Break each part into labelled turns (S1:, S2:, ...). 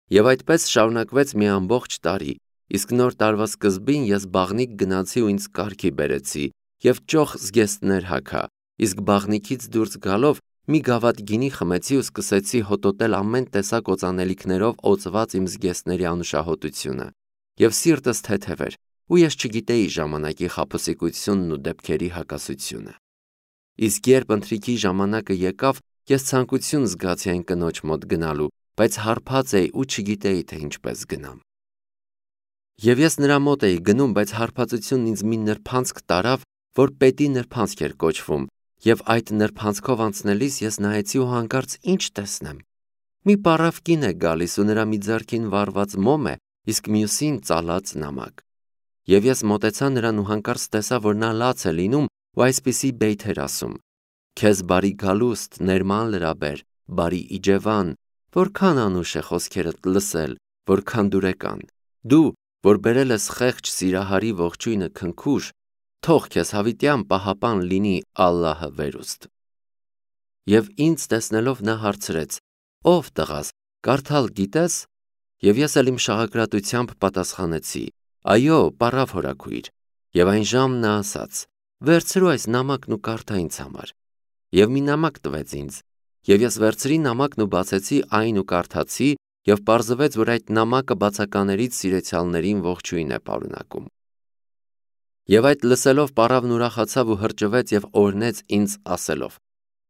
S1: Եվ այդպես շարունակվեց մի ամբողջ տարի, իսկ նոր տարվա սկզբին ես բաղնիք գնացի ու ինձ կարգի բերեցի և ճոխ զգեստներ հագա, իսկ բաղնիքից դուրս գալով մի գավաթ գինի խմեցի ու սկսեցի հոտոտել ամեն տեսակ օծանելիքներով օծված իմ զգեստների անուշահոտությունը, և սիրտս թեթև էր, ու ես չգիտեի ժամանակի խաբուսիկությունն ու դեպքերի հակասությունը։ Իսկ երբ ընթրիքի ժամանակը եկավ, ես ցանկություն զգացի այն կնոջ մոտ գնալու, բայց հարբած էի ու չգիտեի, թե ինչպես գնամ։ Եվ ես նրա մոտ էի գնում, բայց հարբածությունն ինձ մի նրբանցք տարավ, որ պետի նրբանցք էր կոչվում, և այդ նրբանցքով անցնելիս ես նայեցի ու հանկարծ ինչ տեսնեմ։ Մի պառավ կին է գալիս ու նրա մի ձեռքին վառված մոմ է, իսկ մյուսին ծալած նամակ։ Եվ ես մոտեցա նրան ու հանկարծ տեսա, որ նա լաց է լինում ու այսպիսի բեյթ էր ասում. «Քեզ բարի գալուստ, ներման լրաբեր, բարի իջևան, որքան անուշ է խոսքերդ լսել, որքան դուրեկան, դու, որ բերել ես խեղճ սիրահարի ողջույնը քնքուշ, թող քեզ հավիտյան պահապան լինի Ալլահը վերուստ»։ Եվ ինձ տեսնելով նա հարցրեց. «Ով տղաս, կարդալ գիտես»։ Եվ ես էլ իմ շաղակրատությամբ պատասխանեցի. «Այո, պառավ հորաքույր»։ Եվ այն ժամն նա ասաց. «Վերցրու այս նամակն ու կարդա ինձ համար»։ Եվ մի նամակ տվեց ինձ, և ես վերցրի նամակն ու բացեցի այն ու կարդացի, և պարզվեց, որ այդ նամակը բացականերից սիրեցյալներին ողջույն է պարունակում։ Եվ այդ լսելով պառավն ուրախացավ ու հրճվեց և օրհնեց ինձ ասելով.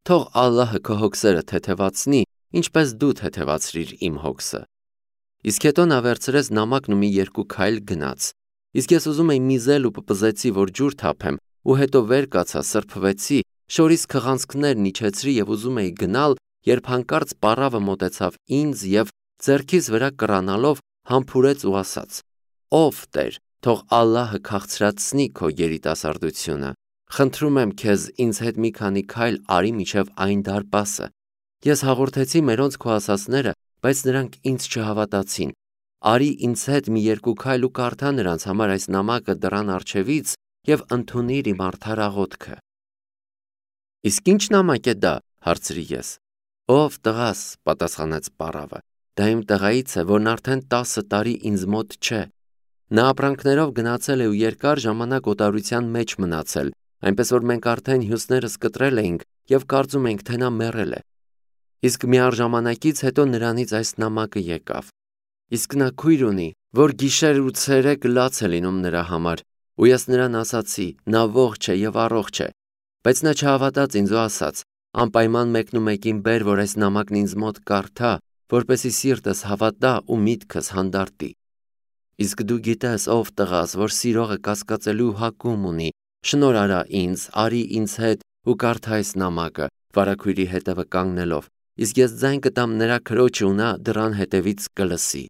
S1: «Թող Ալլահը քո հոգսերը թեթևացնի, ինչպես դու թեթևացրիր իմ հոգսը»։ Իսկ հետո նա վերցրեց նամակն ու մի երկու քայլ գնաց։ Իսկ ես ուզում էի միզել ու պպզեցի, որ ջուր թափեմ, ու հետո վեր կացա, սրբվեցի, շորից քղանցքներն իջեցրի և ուզում էի գնալ, երբ հանկարծ պառավը մոտեցավ ինձ և ձեռքիս վրա կռանալով համբուրեց ու ասաց. «Ով Տեր, թող Ալլահը քաղցրացնի քո երիտասարդությունը, խնդրում եմ քեզ ինձ հետ մի քանի քայլ արի մինչև այն դարպասը»։ Ես հաղորդեցի մերոնց քո ասածները, բայց նրանք ինձ չհավատացին։ Արի ինձ հետ մի երկու քայլ ու կարդա նրանց համար այս նամակը դռան առջևից և ընդունիր իմ արդար աղոթքը։ «Իսկ ի՞նչ նամակ է դա»։ հարցրի ես։ «Ով տղաս», պատասխանեց պառավը, «դա իմ տղայից է, որն արդեն 10 տարի ինձ մոտ չէ։ Նա ապրանքներով գնացել է ու երկար ժամանակ օտարության մեջ մնացել, այնպես որ մենք արդեն հյուսներս կտրել էինք և կարծում էինք, թե նա մեռել է։ Իսկ մի առ ժամանակից հետո նրանից այս նամակը եկավ։ Իսկ նա քույր ունի, որ գիշեր ու ցերեկ լաց է լինում նրա համար, ու ես նրան ասացի. նա ողջ է և առողջ է։ Բայց նա չհավատաց ինձ ու ասաց. անպայման մեկնումեկին բեր, որ այս նամակն ինձ մոտ կարդա, որպեսզի սիրտս հավատա ու միտքս հանդարտի։ Իսկ դու գիտես, ով տղաս, որ սիրողը կասկածելու հակում ունի, շնորհ արա ինձ, արի ինձ հետ ու կարդա այս նամակը, վարագույրի հետևը կանգնելով, իսկ ես ձայն կտամ նրա քրոջը ու նա դռան հետևից կլսի։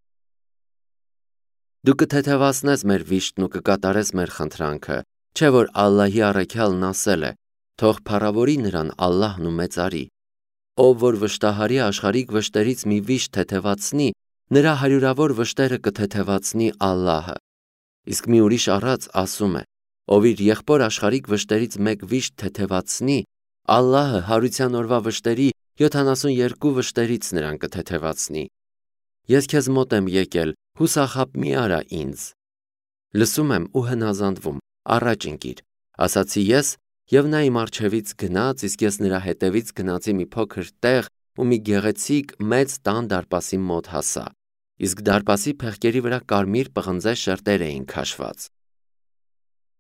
S1: Դու կթեթևացնես մեր վիշտն ու կկատարես մեր խնդրանքը, չէ՞ որ Ալլահի առաքյալն ասել է. թող փառավորի նրան Ալլահն ու մեծարի։ Ով որ վշտահարի աշխարհիկ վշտերից մի վիշտ թեթևացնի, նրա հարյուրավոր վշտերը կթեթևացնի Ալլահը։ Իսկ մի ուրիշ առած ասում է. ով իր եղբոր աշխարհիկ վշտերից մեկ վիշտ թեթևացնի, Ալլահը հարության օրվա վշտերի 72 վշտերից նրան կթեթևացնի։ Ես քեզ մոտ եմ եկել, հուսախաբ մի արա ինձ։ Լսում եմ ու հնազանդվում, առաջ ընկիր, ասացի ես, և նա իմ առջևից գնաց, իսկ ես նրա հետևից գնացի մի փոքր տեղ ու մի գեղեցիկ մեծ տան դարպասի մոտ հասա, իսկ դարպասի փեղկերի վրա կարմիր պղնձե շերտեր էին քաշված։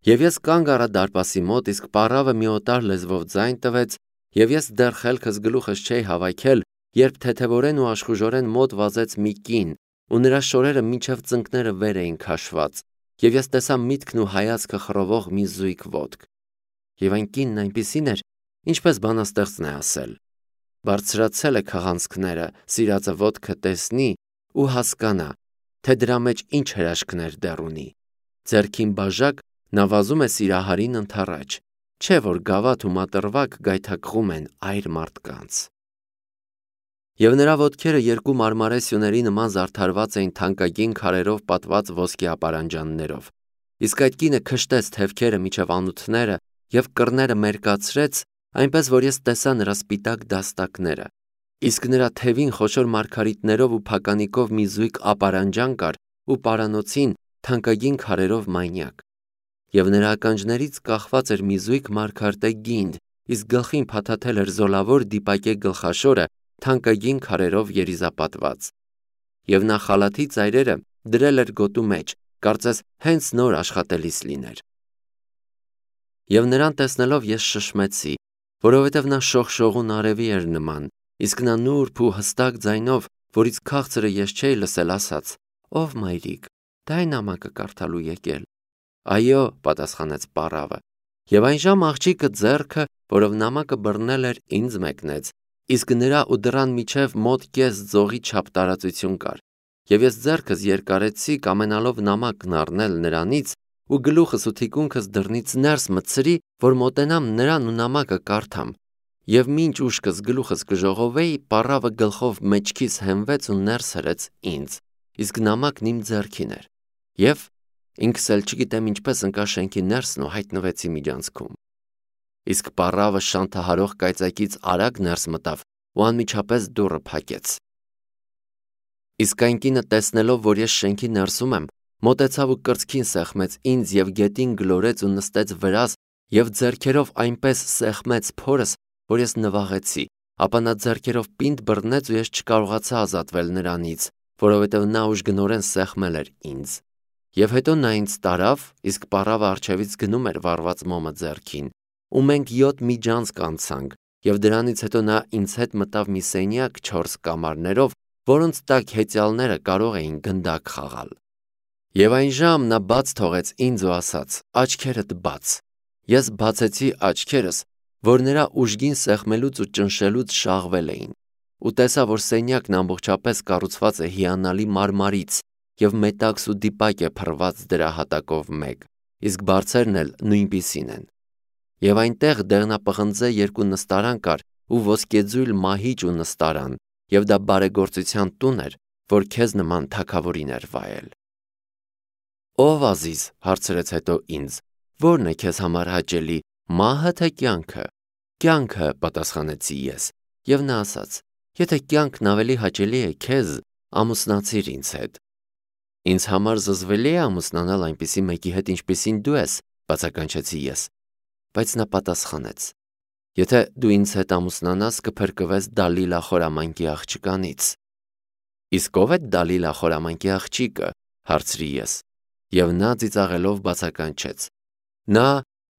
S1: Եվ ես կանգ առա դարպասի մոտ, իսկ պառավը մի օտար լեզվով ձայն տվեց, և ես դեռ խելքս գլուխս չէի հավաքել, երբ թեթևորեն ու աշխուժորեն մոտ վազեց մի կին, ու նրա շորերը մինչև ծնկները վեր էին քաշված, և ես տեսա միտքն ու հայացքը խռովող մի զույգ ոտք։ Եվ այն կինն այնպիսին էր, ինչպես բանաստեղծն է ասել. բարձրացել է քղանցքները, սիրածը ոտքը տեսնի ու հասկանա, թե դրա մեջ ինչ հրաշքներ դեռ ունի։ Ձեռքին բաժակ նա վազում է սիրահարին ընդառաջ, չէ՞ որ գավաթ ու մատռվակ գայթակղում են այր մարդկանց։ Եվ նրա ոտքերը երկու մարմարե սյուների նման զարդարված էին թանկագին քարերով պատված ոսկե ապարանջաններով։ Իսկ այդ կինը քշտեց թևքերը միջև անութները և կռները մերկացրեց, այնպես որ ես տեսա նրա սպիտակ դաստակները։ Իսկ նրա թևին խոշոր մարգարիտներով ու փականիկով մի զույգ ապարանջան կար ու պարանոցին թանկագին քարերով մայնյակ։ Եվ նրա ականջներից կախված էր մի զույգ մարգարտե գինդ, իսկ գլխին փաթաթել էր զոլավոր դիպակե գլխաշորը թանկագին քարերով երիզապատված։ Եվ նա խալաթի ծայրերը դրել էր գոտու մեջ, կարծես հենց նոր աշխատելիս լիներ։ Եվ նրան տեսնելով ես շշմեցի, որովհետև նա շողշողուն արևի էր նման, իսկ նա նուրբ ու հստակ ձայնով, որից քաղցրը ես չէի լսել, ասաց. «Ով մայրիկ, դա է նամակը կարդալու եկել»։ «Այո», պատասխանեց պառավը։ Եվ այնժամ աղջիկը ձեռքը, որով նամակը բռնել էր, ինձ մեկնեց, իսկ նրա ու դռան միջև մոտ կես ձողի չափ տարածություն կար։ Եվ ես ձեռքս երկարեցի կամենալով նամակն առնել նրանից ու գլուխս ու թիկունքս դռնից ներս մտցրի, որ մոտենամ նրան ու նամակը կարդամ։ Եվ մինչ ուշքս գլուխս կժողովեի, պառավը գլխով մեջքիս հենվեց ու ներս հրեց ինձ, իսկ նամակն իմ ձեռքին էր։ Եվ ինքս էլ չգիտեմ ինչպես ընկա շենքի ներսն ու հայտնվեցի միջանցքում։ Իսկ պառավը շանթահարող կայծակից արագ ներս մտավ ու անմիջապես դուռը փակեց։ Իսկ այն կինը տեսնելով, որ ես շենքի ներսում եմ, մոտեցավ ու կրծքին սեղմեց ինձ և գետին գլորեց ու նստեց վրաս և ձեռքերով այնպես սեղմեց փորս, որ ես նվաղեցի, ապա նա ձեռքերով պինդ բռնեց ու ես չկարողացա ազատվել նրանից, որովհետև նա ուժգնորեն սեղմել էր ինձ։ Եվ հետո նա ինձ տարավ, իսկ պառավը առջևից գնում էր վառված մոմը ձեռքին, ու մենք 7 միջանցք անցանք, և դրանից հետո նա ինձ հետ մտավ մի սենյակ 4 կամարներով, որոնց տակ հեծյալները կարող էին գնդակ խաղալ։ Եվ այնժամ նա բաց թողեց ինձ ու ասաց. «Աչքերդ բաց»։ Ես բացեցի աչքերս, որ նրա ուժգին սեղմելուց ու ճնշելուց շաղվել էին, ու տեսա, որ սենյակն ամբողջապես կառուցված է հիանալի մարմարից և մետաքս ու դիպակ է փռված դրա հատակով մեկ, իսկ բարձերն էլ նույնպիսին են։ Եվ այնտեղ դեղնապղնձե 2 նստարան կար ու ոսկեձույլ մահիճ ու նստարան, և դա բարեգործության տուն էր, որ քեզ նման թագավորին էր վայել։ «Ով Ազիզ», հարցրեց հետո ինձ, «ո՞րն է քեզ համար հաճելի, մահը թե կյանքը»։ «Կյանքը», պատասխանեցի ես, և նա ասաց. «Եթե կյանքն ավելի հաճելի է քեզ, ամուսնացիր ինձ հետ»։ «Ինձ համար զզվելի է ամուսնանալ այնպիսի մեկի հետ, ինչպիսին դու ես», բացականչեցի ես։ Բայց նա պատասխանեց. «Եթե դու ինձ հետ ամուսնանաս, կփրկվես Դալիլա խորամանկի աղջկանից»։ «Իսկ ով է Դալիլա խորամանկի աղջիկը», հարցրի ես, և նա ծիծաղելով բացականչեց. «Նա,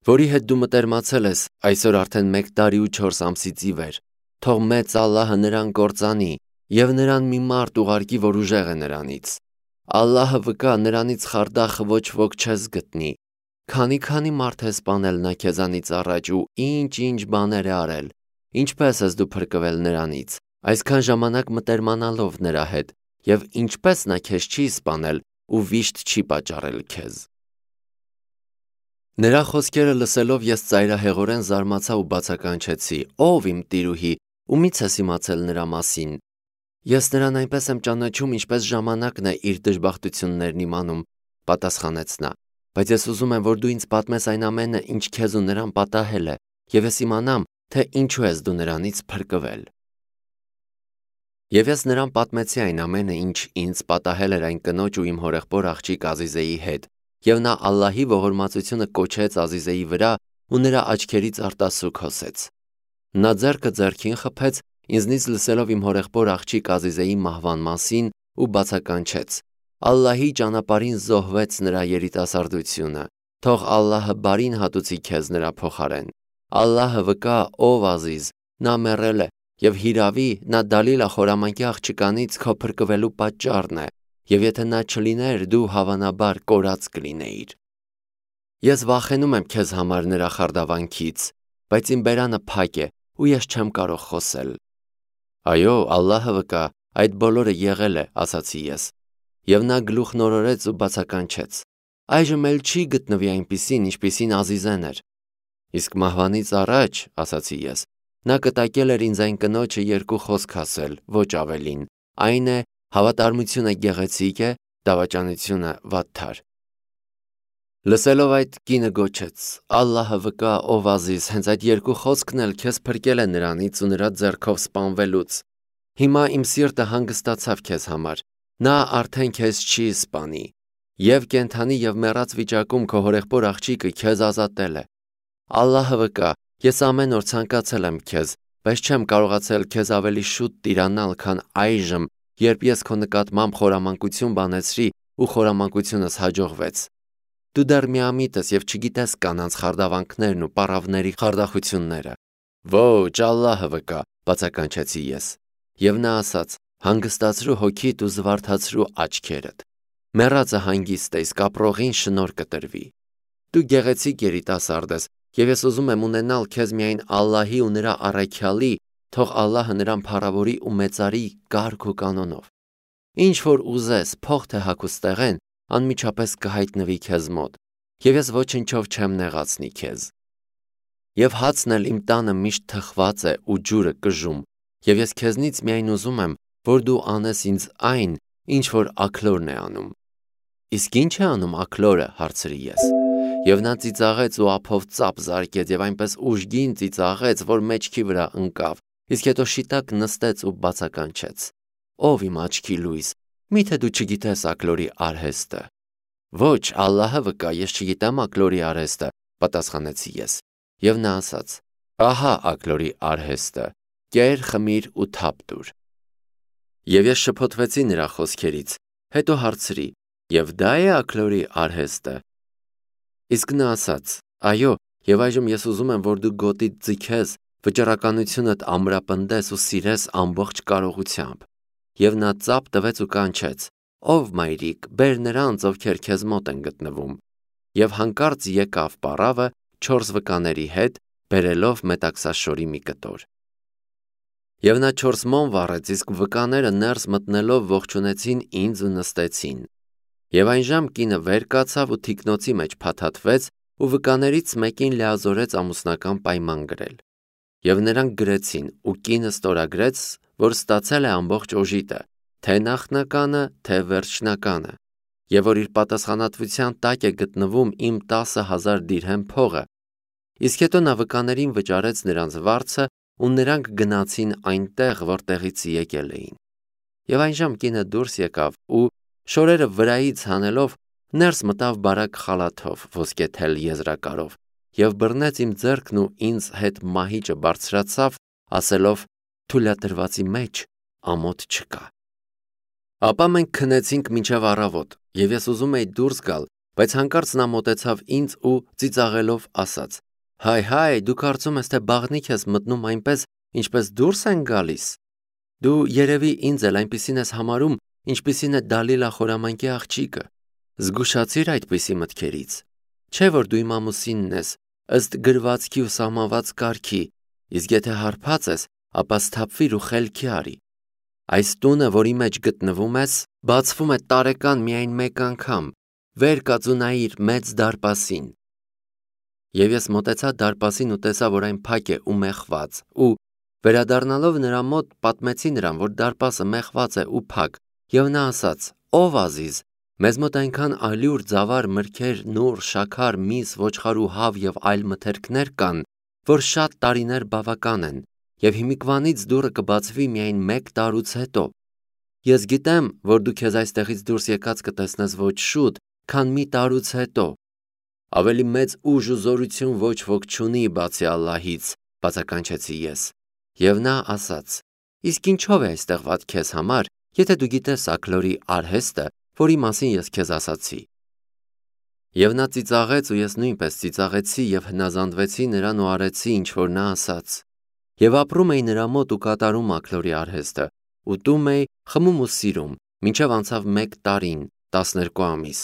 S1: որի հետ դու մտերմացել ես այսօր արդեն 1 տարի ու 4 ամսից ի վեր, թող մեծ Ալլահը նրան կործանի և նրան մի մարդ ուղարկի, որ ուժեղ է նրանից։ Ալլահը վկա, նրանից խարդախը ոչ ոք չես գտնի։ Քանի մարդ է սպանել նա քեզանից առաջ ու ինչ բաներ է արել, ինչպես ես դու փրկվել նրանից, այսքան ժամանակ մտերմանալով նրա հետ, և ինչպես նա քեզ չի սպանել ու վիշտ չի պատճառել քեզ»։ Նրա խոսքերը լսելով ես ծայրահեղորեն զարմացա ու բացականչեցի. «Ո՞վ իմ տիրուհի, ումի՞ց ես իմացել նրա մասին»։ «Ես նրան այնպես եմ ճանաչում, ինչպես ժամանակն է իր դժբախտություններն իմանում», պատասխանեց նա, «բայց ես ուզում եմ, որ դու ինձ պատմես այն ամենը, ինչ քեզ ու նրան պատահել է, և ես իմանամ, թե ինչու ես դու նրանից փրկվել»։ Եվ ես նրան պատմեցի այն ամենը, ինչ ինձ պատահել էր այն կնոջ ու իմ հորեղբոր աղջիկ Ազիզեի հետ, և նա Ալլահի ողորմածությունը կոչեց Ազիզեի վրա ու նրա աչքերից արտասուք հոսեց։ Նա ձեռքը ձեռքին խփեց, ինձնից լսելով իմ հորեղբոր աղջիկ Ազիզեի մահվան մասին ու բացականչեց. «Ալլահի ճանապարհին զոհվեց նրա երիտասարդությունը, թող Ալլահը բարին հատուցի քեզ նրա փոխարեն։ Ալլահը վկա, ով Ազիզ, նա մեռել է, և հիրավի նա Դալիլա խորամանկի աղջկանից քո փրկվելու պատճառն է, և եթե նա չլիներ, դու հավանաբար կորած կլինեիր։ Ես վախենում եմ քեզ համար նրա խարդավանքից, բայց իմ բերանը փակ է, ու ես չեմ կարող խոսել»։ «Այո, Ալլահը վկա, այդ բոլորը եղել է», ասացի ես, և նա գլուխնորորեց ու բացականչեց. «Այժմ էլ չի գտնվի այնպիսին, ինչպիսին Ազիզեն էր»։ «Իսկ մահվանից առաջ», ասացի ես, նա կտակել էր ինձ այն կնոջը 2 խոսք ասել, ոչ ավելին, այն է. հավատարմությունը գեղեցիկ է, դավաճանությունը վատթար։ Լսելով այդ, կինը գոչեց. «Ալլահը վկա, ով Ազիզ, հենց այդ 2 խոսքն էլ քեզ փրկել է նրանից ու նրա ձեռքով սպանվելուց»։ Հիմա իմ սիրտը հանգստացավ քեզ համար, նա արդեն քեզ չի սպանի, եւ կենթանի եւ մեռած վիճակում քո հորեղբոր աղջիկը քեզ ազատել է։ Ալլահը վկա, ես ամեն օր ցանկացել եմ քեզ, բայց չեմ կարողացել քեզ ավելի շուտ տիրանալ, քան այժմ, երբ ես քո նկատմամբ խորամանկություն բանեցրի ու խորամանկությունս հաջողվեց։ Դու դեռ միամիտ ես եւ չգիտես կանանց խարդավանքներն ու պառավների խարդախությունները։ Ոչ, Ալլահը վկա, բացականչեցի ես։ Եվ նա ասաց. հանգստացրու հոգիդ ու զվարթացրու աչքերդ։ Մեռածը հանգիստ է, իսկ ապրողին շնորհ կտրվի։ Դու գեղեցիկ երիտասարդ ես, եւ ես ուզում եմ ունենալ քեզ միայն Ալլահի ու նրա առաքյալի, թող Ալլահը նրան փառավորի ու մեծարի կարգ ու կանոնով։ Ինչ որ ուզես, փող թե հագուստեղեն, անմիջապես կհայտնվի քեզ մոտ, եւ ես ոչնչով չեմ նեղացնի քեզ։ Եվ հացն էլ իմ տանը միշտ թխված է ու ջուրը կժում, եւ ես քեզնից միայն ուզում եմ, որ դու անես ինձ այն, ինչ որ աքլորն է անում։ Իսկ ի՞նչ է անում աքլորը, հարցրի ես։ Եվ նա ծիծաղեց ու ափով ծափ զարկեց եւ այնպես ուժգին ծիծաղեց, որ մեջքի վրա ընկավ, իսկ հետո շիտակ նստեց ու բացականչեց. Ով իմ աչքի լույս, միթե դու չգիտես աքլորի արհեստը։ Ոչ, Ալլահը վկա, ես չգիտեմ աքլորի արհեստը, պատասխանեցի ես։ Եվ նա ասաց. ահա աքլորի արհեստը, կեր, խմիր ու թափ տուր։ Եվ ես շփոթվեցի նրա խոսքերից, հետո հարցրի. եւ դա է աքլորի արհեստը։ Իսկ նա ասաց. այո, եւ այժմ ես ուզում եմ, որ դու գոտիդ ձգես, վճռականությունդ ամրապնդես ու սիրես ամբողջ կարողությամբ։ Եվ նա ծափ տվեց ու կանչեց. ով մայրիկ, բեր նրանց, ովքեր քեզ մոտ են գտնվում։ Եվ հանկարծ եկավ պառավը 4 վկաների հետ, բերելով մետաքսաշորի մի կտոր։ Եվ նա 4 մոմ վառեց, իսկ վկաները ներս մտնելով ողջունեցին ինձ ու նստեցին։ Եվ այն ժամ կինը վեր կացավ ու թիկնոցի մեջ փաթաթվեց ու վկաներից մեկին լիազորեց ամուսնական պայման գրել։ Եվ նրանք գրեցին ու կինը ստորագրեց, որ ստացել է ամբողջ օժիտը, թե նախնականը, թե վերջնականը, եւ որ իր պատասխանատվության տակ է գտնվում իմ 10,000 դիրհեմ փողը։ Իսկ հետո նա վկաներին վճարեց նրանց վարձը ու նրանք գնացին այնտեղ, որտեղից եկել էին։ Եվ այն ժամ կինը դուրս եկավ ու շորերը վրայից հանելով ներս մտավ բարակ խալաթով, ոսկեթել եզրակարով, եւ բռնեց իմ ձեռքն ու ինձ հետ մահիճը բարձրացավ, ասելով. թույլատրվածի մեջ ամոթ չկա։ Ապա մենք քնեցինք մինչև առավոտ, եւ ես ուզում էի դուրս գալ, բայց հանկարծ նա մոտեցավ ինձ ու ծիծաղելով ասաց. հայ, դու կարծում ես, թե բաղնիք ես մտնում այնպես, ինչպես դուրս են գալիս։ Դու երևի ինձ էլ այնպիսին ես համարում, ինչպիսին է Դալիլա խորամանկի աղջիկը։ Զգուշացիր այդպիսի մտքերից։ Չէ՞ որ դու իմ ամուսինն ես, ըստ գրվածքի ու սահմանված կարգի, իսկ եթե հարբած ես, ապա սթափվիր ու խելքի արի։ Այս տունը, որի մեջ գտնվում ես, բացվում է տարեկան միայն մեկ անգամ, վեր կաց ու նայիր մեծ դարպասին։ Եվ ես մոտեցա դարպասին ու տեսա, որ այն փակ է ու մեխված, ու վերադառնալով նրա մոտ պատմեցի նրան, որ դարպասը մեխված է ու փակ, եւ նա ասաց. ով ազիզ, մեզ մոտ այնքան ալյուր, ձավար, մրգեր, նուռ, շաքար, միս, ոչխար ու հավ եւ այլ մթերքներ կան, որ շատ տարիներ բավական են, եւ հիմիկվանից դուռը կբացվի միայն 1 տարուց հետո։ Ես գիտեմ, որ դու քեզ այստեղից դուրս եկած կտեսնես ոչ շուտ, քան մի տարուց հետո։ Ավելի մեծ ուժ ու զորություն ոչ ոք չունի բացի Ալլահից, բացականչեցի ես։ Եվ նա ասաց. իսկ ինչով է այստեղ վատ քեզ համար, եթե դու գիտես աքլորի արհեստը, որի մասին ես քեզ ասացի։ Եվ նա ծիծաղեց ու ես նույնպես ծիծաղեցի եւ հնազանդվեցի նրան ու արեցի, ինչ որ նա ասաց։ Եվ ապրում էի նրա մոտ ու կատարում աքլորի արհեստը, ուտում էի, խմում ու սիրում, մինչև անցավ 1 տարին, 12 ամիս։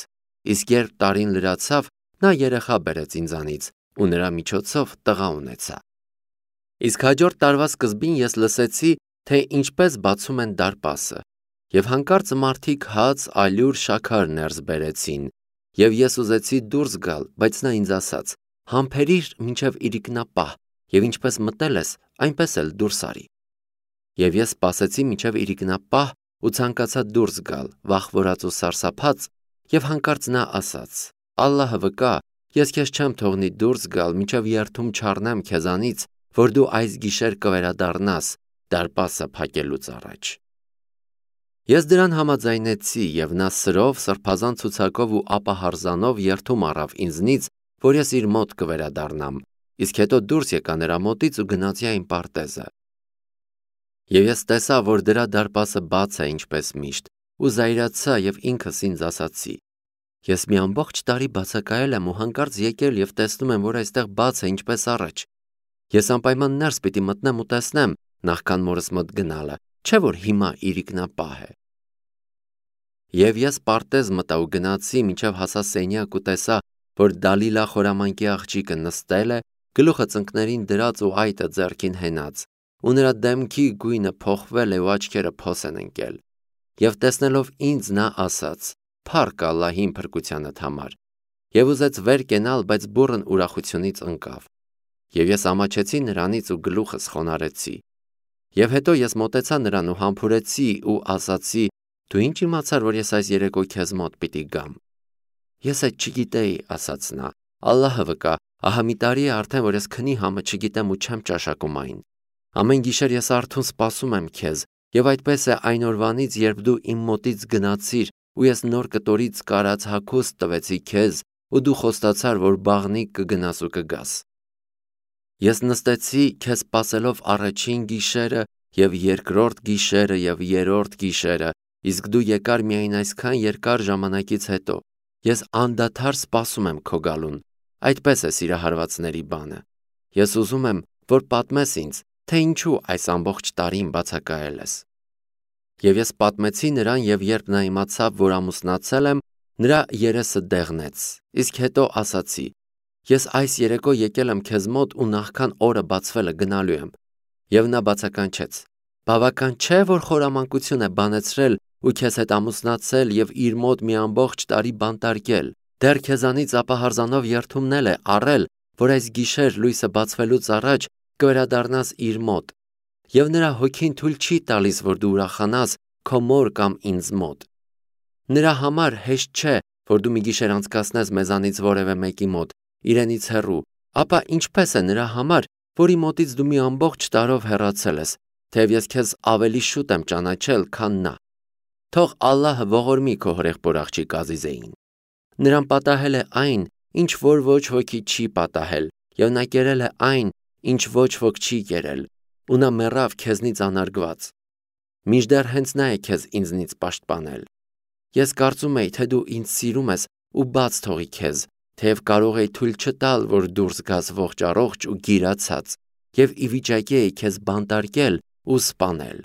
S1: Իսկ երբ տարին լրացավ, նա երեխա բերեց ինձանից ու նրա միջոցով տղա ունեցա։ Իսկ հաջորդ տարվա սկզբին ես լսեցի, թե ինչպես բացում են դարպասը, եւ հանկարծ մարդիկ հաց, ալյուր, շաքար ներս բերեցին, եւ ես ուզեցի դուրս գալ, բայց նա ինձ ասաց. համբերիր մինչև իրիկնապահ, եւ ինչպես մտել ես, այնպես էլ դուրս արի։ Եվ ես սպասեցի մինչև իրիկնապահ ու ցանկացա դուրս գալ, վախվորած ու սարսափած, եւ հանկարծ նա ասաց. Ալլահը վկա, ես քեզ չեմ թողնի դուրս գալ, մինչև երթում չառնեմ քեզանից, որ դու այս գիշեր կվերադառնաս, դարպասը փակելուց առաջ։ Ես դրան համաձայնեցի և նա սրով, սրբազան ցուցակով ու ապահարզանով երդում առավ ինձնից, որ ես իր մոտ կվերադառնամ, իսկ հետո դուրս եկա նրա մոտից ու գնացի այն պարտեզը։ Եվ ես տեսա, որ դրա դարպասը բաց է ինչպես միշտ, ու զայրացա և ինքս ինձ ասացի. ես մի ամբողջ տարի բացակայել եմ ու հանկարծ եկել և տեսնում եմ, որ այստեղ բաց է ինչպես առաջ։ Ես անպայման ներս պիտի մտնեմ ու տեսնեմ, նախքան մորս մոտ գնալը, չէ՞ որ հիմա իրիկնապահ է։ Եվ ես պարտեզ մտա ու գնացի, մինչև հասա սենյակ ու տեսա, որ Դալիլա խորամանկի աղջիկը նստել է, գլուխը ծնկներին դրած ու այտը ձեռքին հենած, ու նրա դեմքի գույնը փոխվել է ու աչքերը փոս են ընկել։ Եվ տեսնելով ինձ նա ասաց. «Փառք Ալլահին փրկությանդ համար», և ուզեց վեր կենալ, բայց բուռն ուրախությունից ընկավ։ Եվ ես ամաչեցի նրանից ու գլուխս խոնարհեցի։ Եվ հետո ես մոտեցա նրան ու համբուրեցի ու ասացի. «Դու ինչ իմացար, որ ես այս երեկո քեզ մոտ պիտի գամ»։ «Ես այդ չգիտեի», ասաց նա, «Ալլահը վկա, ահա մի տարի է արդեն, որ ես քնի համը չգիտեմ ու չեմ ճաշակում այն։ Ամեն գիշեր ես արթուն սպասում եմ քեզ, և այդպես է այն օրվանից, երբ դու իմ մոտից գնացիր, ու ես նոր կտորից կարած հագուստ տվեցի քեզ, ու դու խոստացար, որ բաղնիք կգնաս ու կգաս։ Ես նստեցի քեզ սպասելով առաջին գիշերը և երկրորդ գիշերը և երրորդ գիշերը, իսկ դու եկար միայն այսքան երկար ժամանակից հետո։ Ես անդադար սպասում եմ քո գալուն։ Այդպես է սիրահարվածների բանը։ Ես ուզում եմ, որ պատմես ինձ, թե ինչու այս ամբողջ տարին բացակայել ես։ Եվ ես պատմեցի նրան, և երբ նա իմացավ, որ ամուսնացել եմ, նրա երեսը դեղնեց, իսկ հետո ասացի. «Ես այս երեկո եկել եմ քեզ մոտ ու նախքան օրը բացվելը գնալու եմ»։ Եվ նա բացականչեց. «Բավական չէ, որ խորամանկություն է բանեցրել ու քեզ հետ ամուսնացել և իր մոտ մի ամբողջ տարի բանտարկել, դեռ քեզանից ապահարզանով երդումնել է առել, որ այս գիշեր լույսը բացվելուց առաջ կվերադառնաս իր մոտ, և նրա հոգին թույլ չի տալիս, որ դու ուրախանաս քո մոր կամ ինձ մոտ։ Նրա համար հեշտ չէ, որ դու մի գիշեր անցկացնես մեզանից որևէ մեկի մոտ, իրենից հեռու, ապա ինչպես է նրա համար, որի մոտից դու մի ամբողջ տարով հեռացել ես, թեև ես քեզ ավելի շուտ եմ ճանաչել, քան նա։ Թող Ալլահը ողորմի քո հորեղբոր աղջիկ Ազիզեին։ Նրան պատահել է այն, ինչ որ ոչ ոքի չի պատահել, և նա կերել է այն, ինչ ոչ ոք չի կերել, ու նա մեռավ քեզնից անարգված։ Մինչդեռ հենց նա է քեզ ինձնից պաշտպանել։ Ես կարծում էի, թե դու ինձ սիրում ես ու բաց թողի քեզ, թեև կարող էի թույլ չտալ, որ դուրս գաս ողջ առողջ ու գիրացած, և ի վիճակի էի քեզ բանտարկել ու սպանել։